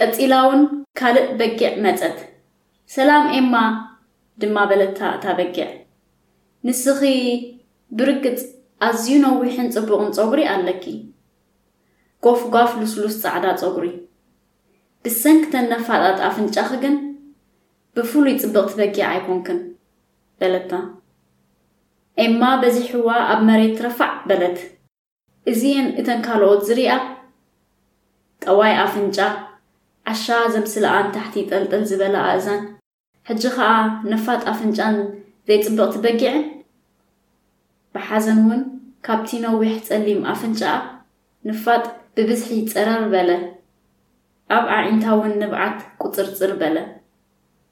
ቀጺላ እውን ካልእ በጊዕ መጸት። "ሰላም ኤማ" ድማ በለታ እታ በጊዕ። "ንስኺ ብርግጽ ኣዝዩ ነዊሕን ጽቡቕን ጸጉሪ ኣለኪ። ጎፍጓፍ ልስሉስ ጻዕዳ ጸጉሪ። ብሰንኪ ተን ነፋጣት ኣፍንጫኺ ግን ብፍሉይ ጽብቕቲ በጊዕ ኣይኮንክን" በለታ። ኤማ በዚሕዋ ኣብ መሬት ረፋዕ በለት። እዚኤን እተን ካልኦት ዝሪኣ፣ ጠዋይ ኣፍንጫ፣ ዓሻ ዘምስለኣን ታሕቲ ጠልጠል ዝበለ ኣእዛን፣ ሕጂ ኸኣ ነፋጥ ኣፍንጫን ዘይጽብቕቲ በጊዕን። ብሓዘን እውን ካብቲ ነዊሕ ጸሊም ኣፍንጫኣ ንፋጥ ብብዝሒ ጸረር በለ። ኣብ ኣዒንታ እውን ንብዓት ቁጽርጽር በለ።